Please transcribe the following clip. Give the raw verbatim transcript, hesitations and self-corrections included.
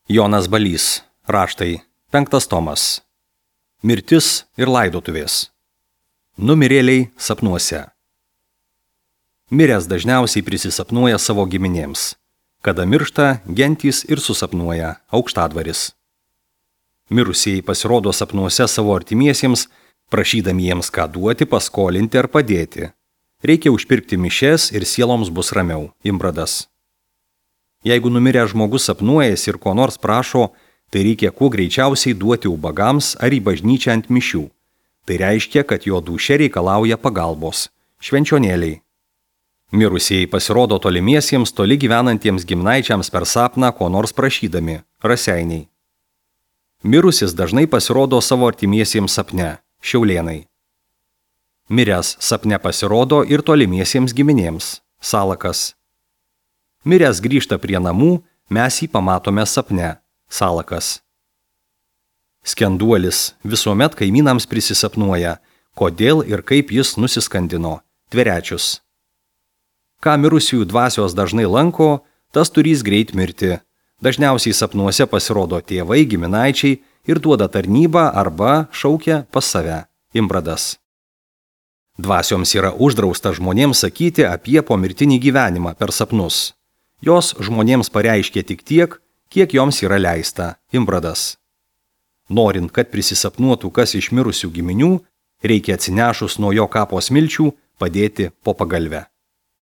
Jonas Balys, raštai, penktas tomas. Mirtis ir laidotuvės. Numirėliai sapnuose. Miręs dažniausiai prisisapnuoja savo giminėms. Kada miršta, gentys ir susapnuoja aukštadvaris. Mirusieji pasirodo sapnuose savo artimiesiems, prašydami jiems ką duoti, paskolinti ar padėti. Reikia užpirkti mišes ir sieloms bus ramiau. Imbradas. Jeigu numiręs žmogus sapnuojasi ir ko nors prašo, tai reikia kuo greičiausiai duoti ubagams ar į bažnyčią ant mišių. Tai reiškia, kad jo dūšia reikalauja pagalbos. Švenčionėliai. Mirusieji pasirodo tolimiesiems, toli gyvenantiems giminaičiams per sapną ko nors prašydami. Raseiniai. Mirusis dažnai pasirodo savo artimiesiems sapne. Šiaulėnai. Miręs sapne pasirodo ir tolimiesiems giminėms. Salakas. Miręs grįžta prie namų, mes jį pamatome sapne. Salakas. Skenduolis visuomet kaimynams prisisapnuoja, kodėl ir kaip jis nusiskandino. Tverečius. Ką mirusiųjų dvasios dažnai lanko, tas turys greit mirti. Dažniausiai sapnuose pasirodo tėvai, giminaičiai ir duoda tarnybą arba šaukia pas save. Imbradas. Dvasioms yra uždrausta žmonėms sakyti apie pomirtinį gyvenimą per sapnus. Jos žmonėms pareiškia tik tiek, kiek joms yra leista. Imbradas. Norint, kad prisisapnuotų kas iš mirusių giminių, reikia atsinešus nuo jo kapo smilčių padėti po pagalvę.